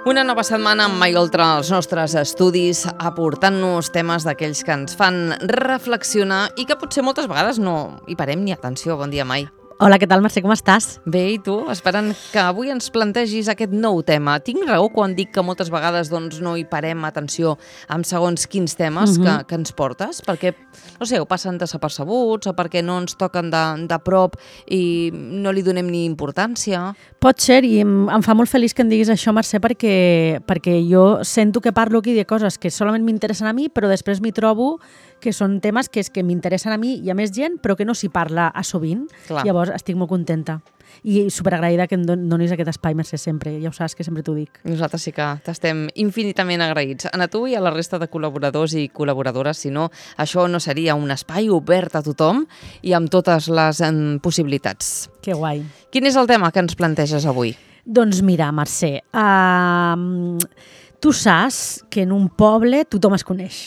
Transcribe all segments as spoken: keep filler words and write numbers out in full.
Una nova setmana amb Mai Oltra als nostres estudis, aportant-nos temes d'aquells que ens fan reflexionar i que potser moltes vegades no hi parem ni atenció. Bon dia, Mai. Hola, què tal, Mercè? Com estàs? Bé, i tu? Esperant que avui ens plantegis aquest nou tema. Tinc raó quan dic que moltes vegades doncs, no hi parem atenció amb segons quins temes Mhm. que, que ens portes? Perquè, no sé, o passen desapercebuts o perquè no ens toquen de, de prop i no li donem ni importància? Pot ser, i em, em fa molt feliç que em diguis això, Mercè, perquè, perquè jo sento que parlo aquí de coses que solament m'interessen a mi, però després m'hi trobo que són temes que, és que m'interessen a mi i a més gent, però que no s'hi parla a sovint. Clar. Llavors estic molt contenta i superagraïda que em don- donis aquest espai, Mercè, sempre. Ja ho saps, que sempre t'ho dic. Nosaltres sí que t'estem infinitament agraïts. A tu i a la resta de col·laboradors i col·laboradores, si no, això no seria un espai obert a tothom i amb totes les em, possibilitats. Que guai. Quin és el tema que ens planteges avui? Doncs mira, Mercè, uh, tu saps que en un poble tothom es coneix.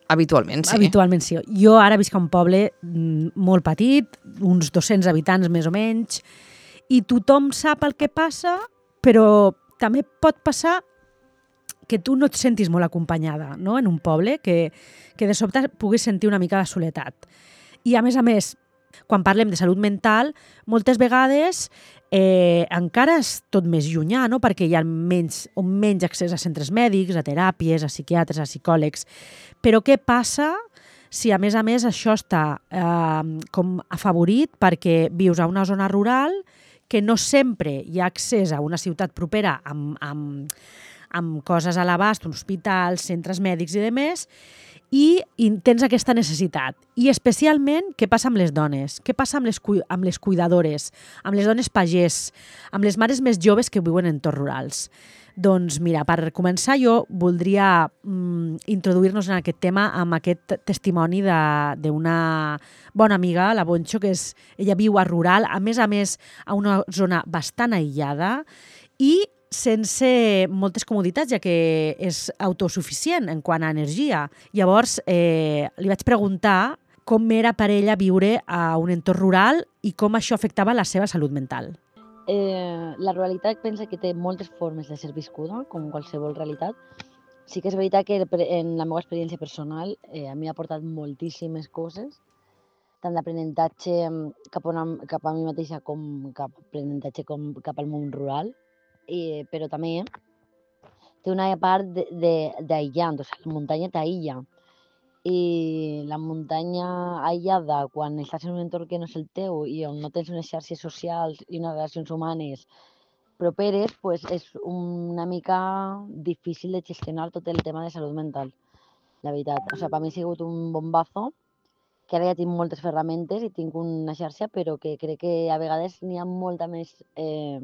Habitualment, sí. Habitualment sí. Jo ara visc a un poble mm, molt petit, uns dos-cents habitants més o menys, i tothom sap el que passa, però també pot passar que tu no et sentis molt acompanyada, no?, en un poble, que, que de sobte puguis sentir una mica de soledat. I a més a més, quan parlem de salut mental, moltes vegades eh, encara és tot més llunyà, no?, perquè hi ha menys, o menys accés a centres mèdics, a teràpies, a psiquiatres, a psicòlegs. Però què passa si, a més a més, això està eh, com afavorit perquè vius a una zona rural que no sempre hi ha accés a una ciutat propera amb, amb, amb coses a l'abast, hospitals, centres mèdics i demés, i, i tens aquesta necessitat. I especialment, què passa amb les dones? Què passa amb les, amb les cuidadores, amb les dones pagès, amb les mares més joves que viuen en entorns rurals? Doncs mira, per començar jo voldria mm, introduir-nos en aquest tema amb aquest testimoni d'una bona amiga, la Bonxo, que és, ella viu a rural, a més a més a una zona bastant aïllada i sense moltes comoditats, ja que és autosuficient en quant a energia. Llavors, eh, li vaig preguntar com era per ella viure a un entorn rural i com això afectava la seva salut mental. Eh, la ruralitat pensa que té moltes formes de ser viscuda, com qualsevol realitat. Sí que és veritat que en la meva experiència personal eh, a mi ha portat moltíssimes coses, tant d'aprenentatge cap, a una, cap a mi mateixa com cap aprenentatge com cap al món rural, i, però també té una part d'aïllant, o sigui, la muntanya t'aïlla. I la muntanya aïllada, quan estàs en un entorn que no és el teu i on no tens unes xarxes socials i unes relacions humanes properes, pues és una mica difícil de gestionar tot el tema de salut mental, la veritat. O sigui, per mi ha sigut un bombazo, que ara ja tinc moltes ferramentes i tinc una xarxa, però que crec que a vegades n'hi ha molta més... Eh,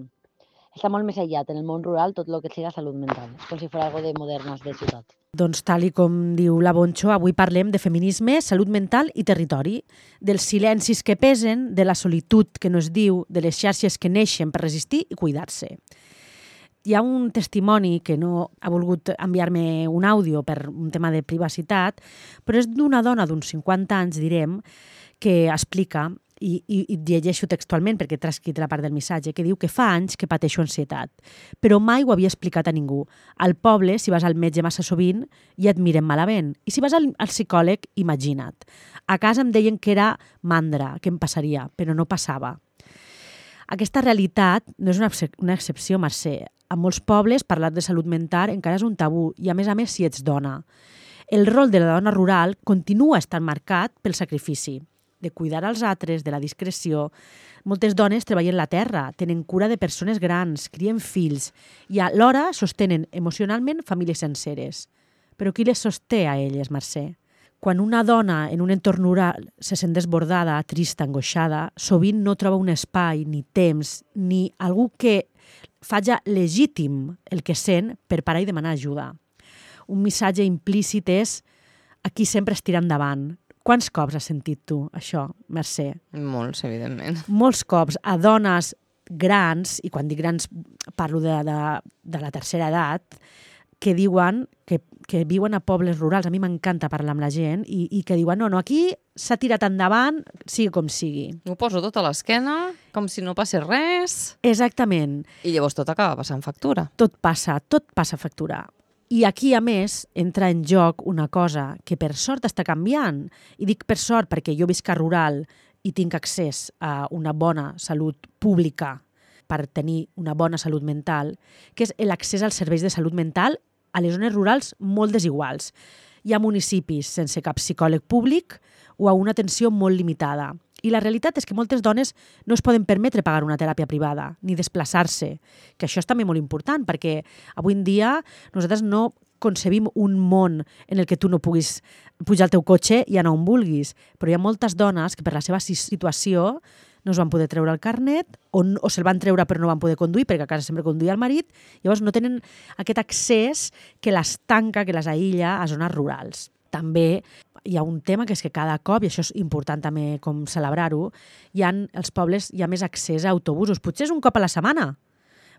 està molt més aïllat en el món rural tot el que siga salut mental, com si fos algo de modernes de ciutat. Doncs tal i com diu la Bonxo, avui parlem de feminisme, salut mental i territori, dels silencis que pesen, de la solitud que no es diu, de les xarxes que neixen per resistir i cuidar-se. Hi ha un testimoni que no ha volgut enviar-me un àudio per un tema de privacitat, però és d'una dona d'uns cinquanta anys, direm, que explica, i, i, i llegeixo textualment perquè he transcrit la part del missatge, que diu que fa anys que pateixo ansietat, però mai ho havia explicat a ningú. Al poble, si vas al metge massa sovint, ja et miren malament. I si vas al, al psicòleg, imagina't. A casa em deien que era mandra, que em passaria, però no passava. Aquesta realitat no és una, una excepció, Mercè. A molts pobles, parlar de salut mental encara és un tabú, i a més a més si ets dona. El rol de la dona rural continua estant marcat pel sacrifici, de cuidar als altres, de la discreció. Moltes dones treballen la terra, tenen cura de persones grans, crien fills i alhora sostenen emocionalment famílies senceres. Però qui les sosté a elles, Mercè? Quan una dona en un entorn rural se sent desbordada, trista, angoixada, sovint no troba un espai, ni temps, ni algú que faci legítim el que sent per parar i demanar ajuda. Un missatge implícit és aquí sempre es tira endavant. Quants cops has sentit tu això, Mercè? Molts, evidentment. Molts cops a dones grans, i quan dic grans parlo de, de, de la tercera edat, que diuen que, que viuen a pobles rurals, a mi m'encanta parlar amb la gent, i, i que diuen, no, no, aquí s'ha tirat endavant, sigui com sigui. Ho poso tot a l'esquena, com si no passés res. Exactament. I llavors tot acaba passant factura. Tot passa, tot passa a factura. I aquí, a més, entra en joc una cosa que per sort està canviant. I dic per sort perquè jo visc a rural i tinc accés a una bona salut pública per tenir una bona salut mental, que és l'accés als serveis de salut mental a les zones rurals molt desiguals. Hi ha municipis sense cap psicòleg públic o a una atenció molt limitada. I la realitat és que moltes dones no es poden permetre pagar una teràpia privada, ni desplaçar-se, que això és també molt important, perquè avui en dia nosaltres no concebim un món en el que tu no puguis pujar al teu cotxe i anar on vulguis, però hi ha moltes dones que per la seva situació no es van poder treure el carnet o, o se'l van treure però no van poder conduir perquè a casa sempre conduïa el marit, llavors no tenen aquest accés que les tanca, que les aïlla a zones rurals. També hi ha un tema que és que cada cop, i això és important també com celebrar-ho, hi ha, als pobles hi ha més accés a autobusos, potser és un cop a la setmana,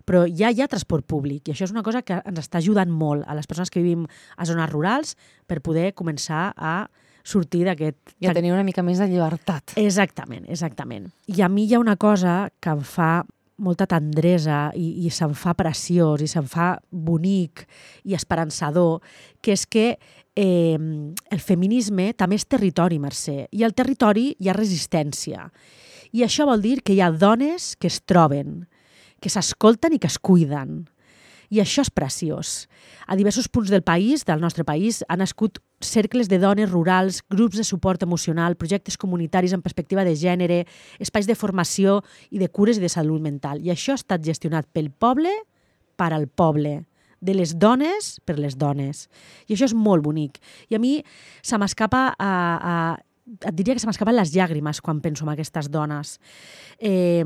però ja hi ha transport públic i això és una cosa que ens està ajudant molt a les persones que vivim a zones rurals per poder començar a sortir d'aquest... I a tenir una mica més de llibertat. Exactament, exactament. I a mi hi ha una cosa que em fa molta tendresa i, i se'm fa preciós i se'm fa bonic i esperançador, que és que eh, el feminisme també és territori, Mercè, i al territori hi ha resistència. I això vol dir que hi ha dones que es troben, que s'escolten i que es cuiden. I això és preciós. A diversos punts del país, del nostre país, han nascut cercles de dones rurals, grups de suport emocional, projectes comunitaris en perspectiva de gènere, espais de formació i de cures i de salut mental. I això ha estat gestionat pel poble per al poble, de les dones per les dones. I això és molt bonic. I a mi se m'escapa a... a et diria que se m'escapen les llàgrimes quan penso en aquestes dones. Eh,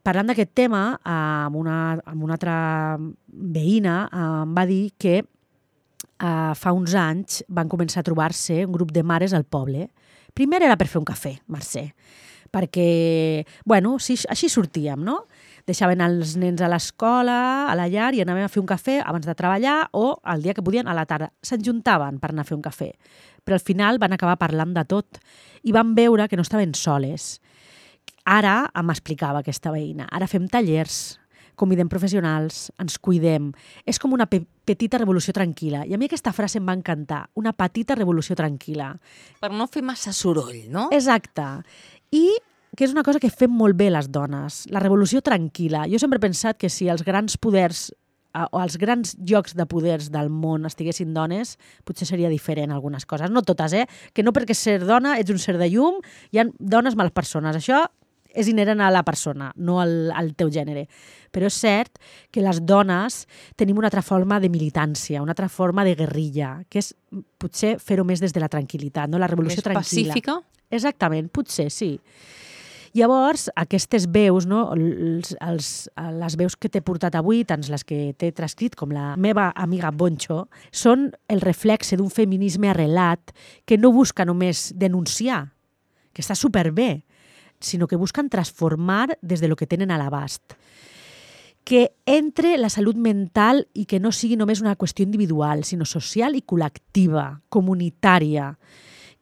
parlant d'aquest tema, amb una, amb una altra veïna em va dir que eh, fa uns anys van començar a trobar-se un grup de mares al poble. Primer era per fer un cafè, Mercè, perquè, bueno, sí, així sortíem, no? Deixaven els nens a l'escola, a la llar, i anàvem a fer un cafè abans de treballar o el dia que podien a la tarda. S'enjuntaven per anar a fer un cafè. Però al final van acabar parlant de tot i van veure que no estaven soles. Ara m'explicava aquesta veïna, ara fem tallers, convidem professionals, ens cuidem. És com una pe petita revolució tranquil·la. I a mi aquesta frase em va encantar, una petita revolució tranquil·la. Per no fer massa soroll, no? Exacte. I que és una cosa que fem molt bé les dones, la revolució tranquil·la. Jo sempre he pensat que si els grans poders o els grans llocs de poders del món estiguessin dones, potser seria diferent algunes coses. No totes, eh? Que no perquè ser dona ets un ser de llum, hi ha dones males persones. Això és inherent a la persona, no al, al teu gènere. Però és cert que les dones tenim una altra forma de militància, una altra forma de guerrilla, que és potser fer-ho més des de la tranquil·litat, no? La revolució més tranquil·la. Pacífica? Exactament, potser, sí. Llavors, aquestes veus, no? els, els, les veus que t'he portat avui, tant les que t'he transcrit com la meva amiga Bonxo, són el reflexe d'un feminisme arrelat que no busca només denunciar, que està superbé, sinó que busquen transformar des de lo que tenen a l'abast. Que entre la salut mental i que no sigui només una qüestió individual, sinó social i col·lectiva, comunitària.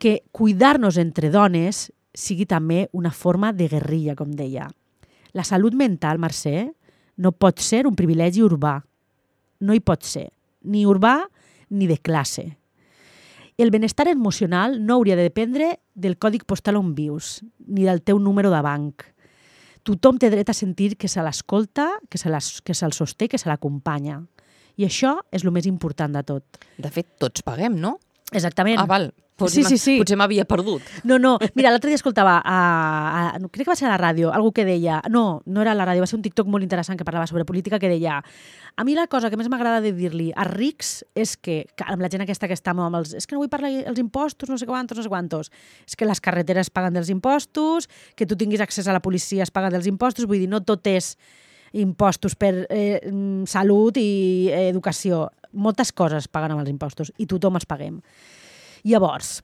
Que cuidar-nos entre dones sigui també una forma de guerrilla, com deia. La salut mental, Mercè, no pot ser un privilegi urbà. No hi pot ser. Ni urbà ni de classe. El benestar emocional no hauria de dependre del còdig postal on vius, ni del teu número de banc. Tothom té dret a sentir que se l'escolta, que se se'l sosté, que se l'acompanya. I això és el més important de tot. De fet, tots paguem, no? Exactament. Ah, val. Potser sí, sí, sí. Potser m'havia perdut. No, no. Mira, l'altre dia escoltava, a, a, crec que va ser a la ràdio, algú que deia... No, no era a la ràdio, va ser un TikTok molt interessant que parlava sobre política, que deia... A mi la cosa que més m'agrada de dir-li a rics és que, amb la gent aquesta que està amb els... És que no vull parlar dels impostos, no sé quantos, no sé quantos. És que les carreteres paguen dels impostos, que tu tinguis accés a la policia es paga dels impostos, vull dir, no tot és impostos per eh, salut i eh, educació. Moltes coses paguen amb els impostos i tothom els paguem. Llavors,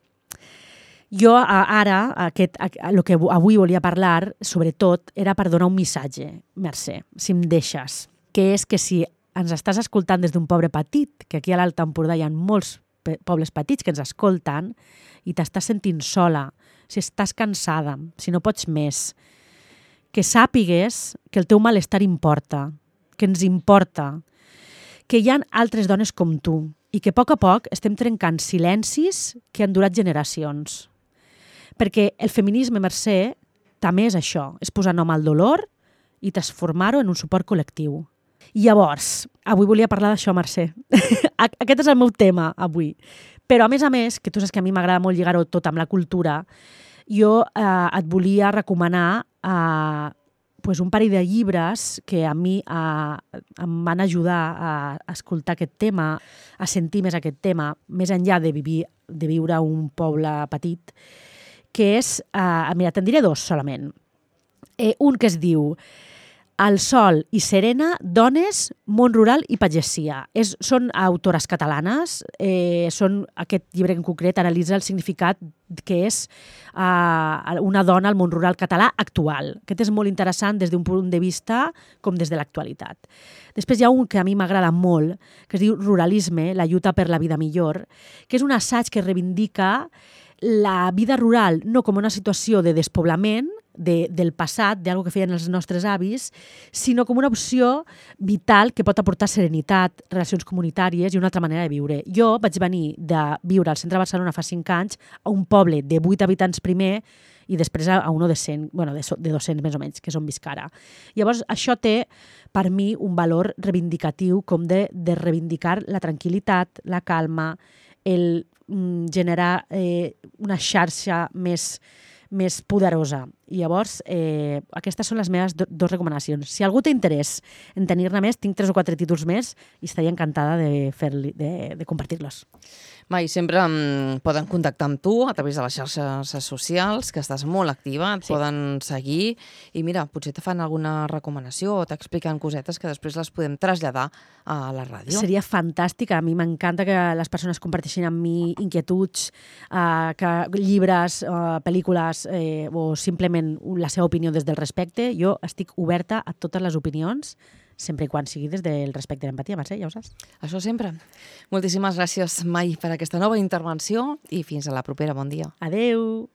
jo ara, aquest, el que avui volia parlar, sobretot, era per donar un missatge, Mercè, si em deixes, que és que si ens estàs escoltant des d'un poble petit, que aquí a l'Alt Empordà hi ha molts pobles petits que ens escolten i t'estàs sentint sola, si estàs cansada, si no pots més, que sàpigues que el teu malestar importa, que ens importa, que hi ha altres dones com tu i que a poc a poc estem trencant silencis que han durat generacions. Perquè el feminisme, Mercè, també és això, és posar nom al dolor i transformar-ho en un suport col·lectiu. I llavors, avui volia parlar d'això, Mercè. Aquest és el meu tema, avui. Però, a més a més, que tu saps que a mi m'agrada molt lligar-ho tot amb la cultura, jo eh, et volia recomanar eh, pues un parell de llibres que a mi eh, em van ajudar a escoltar aquest tema, a sentir més aquest tema, més enllà de, vivir, de viure a un poble petit, que és, eh, mira, te'n diré dos solament. Eh, un que es diu El sol i Serena, dones, món rural i pagesia. És, són autores catalanes, eh, són, aquest llibre en concret analitza el significat que és eh, una dona al món rural català actual. Aquest és molt interessant des d'un punt de vista com des de l'actualitat. Després hi ha un que a mi m'agrada molt, que es diu Ruralisme, la lluita per la vida millor, que és un assaig que reivindica la vida rural no com una situació de despoblament, De, del passat, d'algo que feien els nostres avis, sinó com una opció vital que pot aportar serenitat, relacions comunitàries i una altra manera de viure. Jo vaig venir de viure al centre de Barcelona fa cinc anys a un poble de vuit habitants primer i després a un de cent, bueno, de, de dos-cents més o menys, que és on visc ara. Llavors, això té per mi un valor reivindicatiu com de, de reivindicar la tranquil·litat, la calma, el mm, generar eh, una xarxa més més poderosa. I llavors, eh, aquestes són les meves do, dos recomanacions. Si algú té interès en tenir-ne més, tinc tres o quatre títols més i estaria encantada de, fer-li, de, de compartir-los. Mai, sempre um, poden contactar amb tu a través de les xarxes socials, que estàs molt activa, et sí. poden seguir i mira, potser te fan alguna recomanació o t'expliquen cosetes que després les podem traslladar a la ràdio. Seria fantàstic, a mi m'encanta que les persones comparteixin amb mi inquietuds, eh, que llibres, eh, pel·lícules eh, o simplement la seva opinió des del respecte. Jo estic oberta a totes les opinions, sempre i quan sigui des del respecte i l'empatia, Mercè, ja ho saps. Això sempre. Moltíssimes gràcies, Mai, per aquesta nova intervenció i fins a la propera. Bon dia. Adeu.